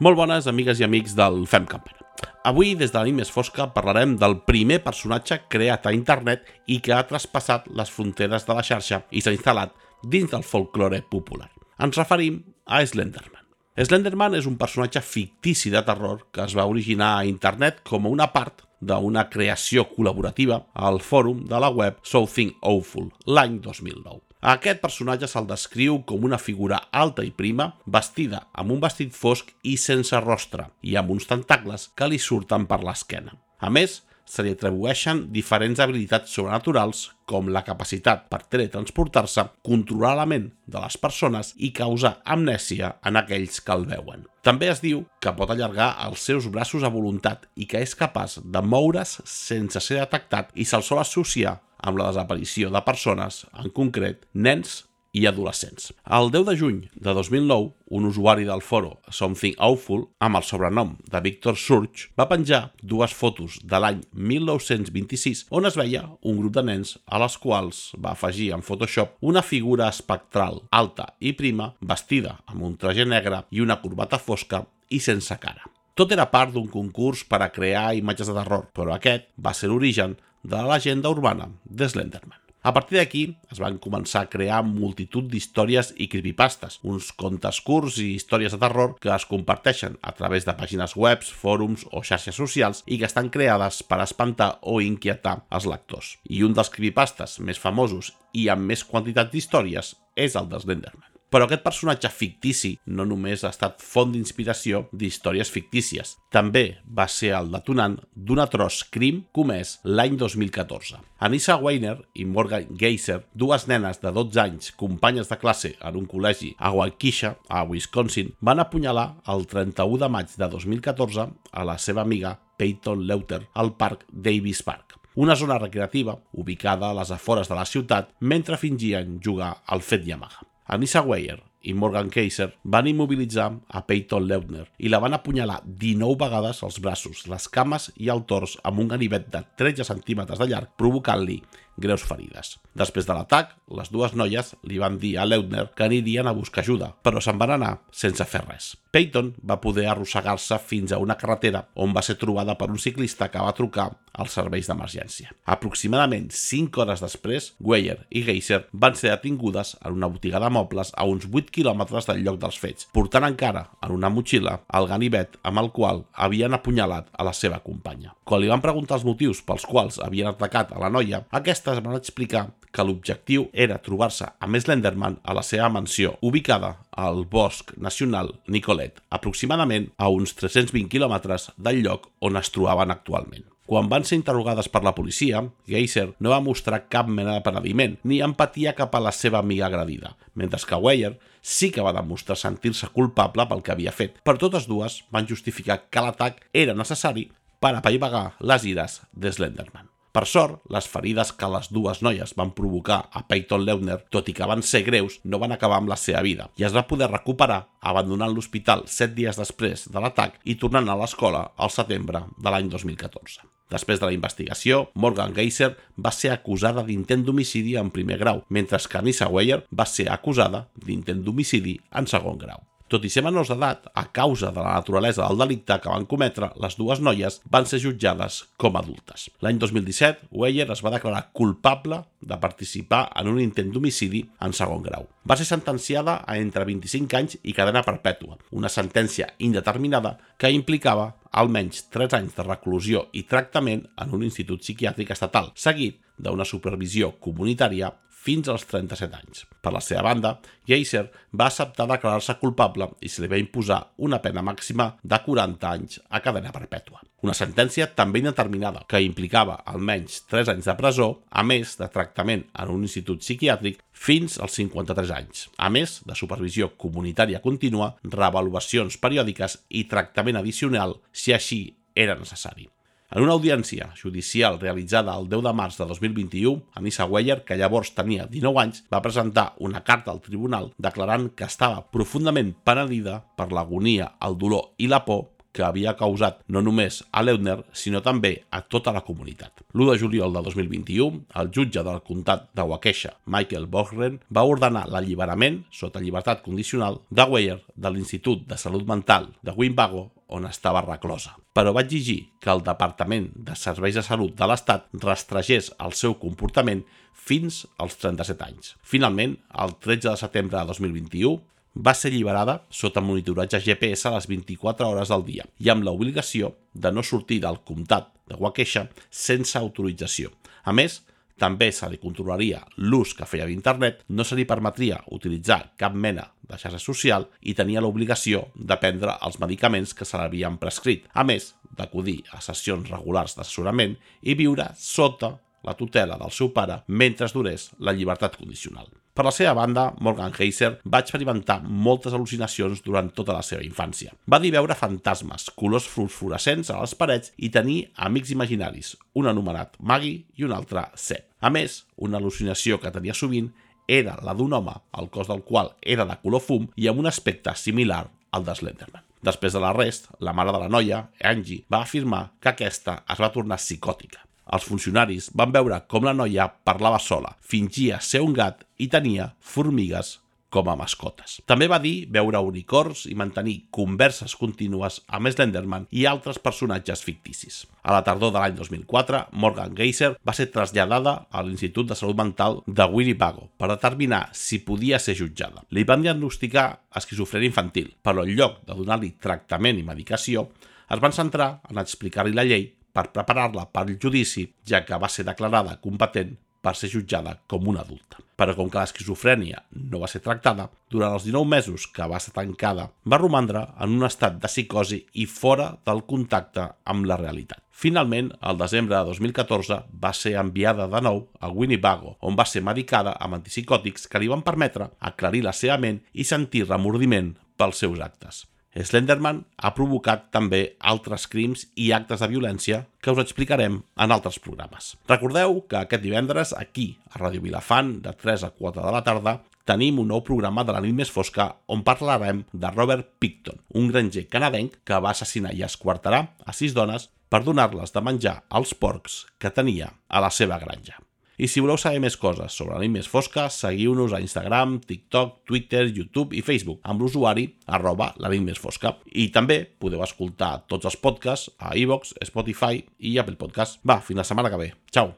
Molt bones, amigues i amics del Fem Campana. Avui, des de la nit més fosca, parlarem del primer personatge creat a internet i que ha traspassat les fronteres de la xarxa i s'ha instal·lat dins del folklore popular. Ens referim a Slenderman. Slenderman és un personatge fictici de terror que es va originar a internet com una part d'una creació col·laborativa al fòrum de la web Something Awful l'any 2009. A aquest personatge se'l descriu com una figura alta i prima, vestida amb un vestit fosc i sense rostre, i amb uns tentacles que li surten per l'esquena. A més, se li atribueixen diferents habilitats sobrenaturals, com la capacitat per teletransportar-se, controlar la ment de les persones i causar amnèsia en aquells que el veuen. També es diu que pot allargar els seus braços a voluntat i que és capaç de moure's sense ser detectat i se'l sol associar amb la desaparició de persones, en concret, nens i adolescents. El 10 de juny de 2009, un usuari del foro Something Awful, amb el sobrenom de Victor Surge, va penjar dues fotos de l'any 1926 on es veia un grup de nens a les quals va afegir en Photoshop una figura espectral, alta i prima, vestida amb un traje negre i una corbata fosca i sense cara. Tot era part d'un concurs per a crear imatges de terror, però aquest va ser l'origen de la llegenda urbana de Slenderman. A partir d'aquí es van començar a crear multitud d'històries i creepypastes, uns contes curts i històries de terror que es comparteixen a través de pàgines web, fòrums o xarxes socials i que estan creades per espantar o inquietar els lectors. I un dels creepypastes més famosos i amb més quantitat d'històries és el de Slenderman. Però aquest personatge fictici no només ha estat font d'inspiració d'històries fictícies, també va ser el detonant d'un atroç crim comès l'any 2014. Anissa Weiner i Morgan Geyser, dues nenes de 12 anys, companyes de classe en un col·legi a Waukesha, a Wisconsin, van apunyalar el 31 de maig de 2014 a la seva amiga Peyton Leuter al parc Davis Park, una zona recreativa ubicada a les afores de la ciutat mentre fingien jugar al fet Yamaha. Anissa Weiner i Morgan Geyser van immobilitzar a Peyton Leuter i la van apunyalar 19 vegades als braços, les cames i el tors amb un ganivet de 13 centímetres de llarg, provocant-li greus ferides. Després de l'atac, les dues noies li van dir a Leuter que anirien a buscar ajuda, però se'n van anar sense fer res. Peyton va poder arrossegar-se fins a una carretera on va ser trobada per un ciclista que va trucar als serveis d'emergència. Aproximadament 5 hores després, Weiner i Geyser van ser detingudes en una botiga de mobles a uns 8 quilòmetres del lloc dels fets, portant encara en una motxilla el ganivet amb el qual havien apunyalat a la seva companya. Quan li van preguntar els motius pels quals havien atacat a la noia, aquestes van explicar que l'objectiu era trobar-se amb Slenderman a la seva mansió, ubicada al Bosc Nacional Nicolet, aproximadament a uns 320 quilòmetres del lloc on es trobaven actualment. Quan van ser interrogades per la policia, Geyser no va mostrar cap mena de penediment ni empatia cap a la seva amiga agredida, mentre que Weiner sí que va demostrar sentir-se culpable pel que havia fet, però totes dues van justificar que l'atac era necessari per apaivagar les ires de Slenderman. Per sort, les ferides que les dues noies van provocar a Peyton Leuter, tot i que van ser greus, no van acabar amb la seva vida i es va poder recuperar abandonant l'hospital 7 dies després de l'atac i tornant a l'escola al setembre de l'any 2014. Després de la investigació, Morgan Geyser va ser acusada d'intent d'homicidi en primer grau, mentre que Anissa Weiner va ser acusada d'intent d'homicidi en segon grau. Tot i ser menors d'edat, a causa de la naturalesa del delicte que van cometre, les dues noies van ser jutjades com a adultes. L'any 2017, Weiner es va declarar culpable de participar en un intent d'homicidi en segon grau. Va ser sentenciada a entre 25 anys i cadena perpètua, una sentència indeterminada que implicava almenys 3 anys de reclusió i tractament en un institut psiquiàtric estatal, seguit d'una supervisió comunitària fins als 37 anys. Per la seva banda, Geyser va acceptar declarar-se culpable i se li va imposar una pena màxima de 40 anys a cadena perpètua. Una sentència també indeterminada que implicava almenys 3 anys de presó, a més de tractament en un institut psiquiàtric fins als 53 anys, a més de supervisió comunitària contínua, reavaluacions periòdiques i tractament addicional si així era necessari. En una audiència judicial realitzada el 10 de març de 2021, Anissa Weiner, que llavors tenia 19 anys, va presentar una carta al tribunal declarant que estava profundament penedida per l'agonia, el dolor i la por que havia causat no només a Leutner, sinó també a tota la comunitat. L'1 de juliol de 2021, el jutge del comtat de Waukesha, Michael Bogren, va ordenar l'alliberament, sota llibertat condicional, de Weyer de l'Institut de Salut Mental de Winnebago, on estava reclosa. Però va exigir que el Departament de Serveis de Salut de l'Estat restregés el seu comportament fins als 37 anys. Finalment, el 13 de setembre de 2021, va ser alliberada sota monitoratge GPS a les 24 hores del dia i amb l'obligació de no sortir del comtat de Waukesha sense autorització. A més, també se li controlaria l'ús que feia d'internet, no se li permetria utilitzar cap mena de xarxa social i tenia l'obligació de prendre els medicaments que se l'havien prescrit, a més d'acudir a sessions regulars d'assessorament i viure sota la tutela del seu pare mentre durés la llibertat condicional. Per la seva banda, Morgan Heiser va experimentar moltes al·lucinacions durant tota la seva infància. Va dir veure fantasmes, colors fluorescents a les parets i tenir amics imaginaris, un anomenat Maggie i un altre Seb. A més, una al·lucinació que tenia sovint era la d'un home, el cos del qual era de color fum i amb un aspecte similar al de Slenderman. Després de l'arrest, la mare de la noia, Angie, va afirmar que aquesta es va tornar psicòtica. Els funcionaris van veure com la noia parlava sola, fingia ser un gat i tenia formigues com a mascotes. També va dir veure unicorns i mantenir converses contínues amb Slenderman i altres personatges ficticis. A la tardor de l'any 2004, Morgan Heiser va ser traslladada a l'Institut de Salut Mental de Winnebago per determinar si podia ser jutjada. Li van diagnosticar esquizofrènia infantil, però en lloc de donar-li tractament i medicació, es van centrar en explicar-li la llei per preparar-la per al judici, ja que va ser declarada competent per ser jutjada com una adulta. Però com que l'esquizofrènia no va ser tractada, durant els 19 mesos que va ser tancada, va romandre en un estat de psicosi i fora del contacte amb la realitat. Finalment, al desembre de 2014, va ser enviada de nou a Winnebago, on va ser medicada amb antipsicòtics que li van permetre aclarir la seva ment i sentir remordiment pels seus actes. Slenderman ha provocat també altres crims i actes de violència que us explicarem en altres programes. Recordeu que aquest divendres, aquí, a Ràdio Vilafant, de 3 a 4 de la tarda, tenim un nou programa de la nit més fosca on parlarem de Robert Picton, un granger canadenc que va assassinar i esquarterar a 6 dones per donar-les de menjar als porcs que tenia a la seva granja. I si voleu saber més coses sobre la nit més fosca, seguiu-nos a Instagram, TikTok, Twitter, YouTube i Facebook amb l'usuari @lanitmesfosca. I també podeu escoltar tots els podcasts a iVoox, Spotify i Apple Podcast. Va, fins la setmana que ve. Ciao!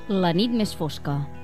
La nit més fosca.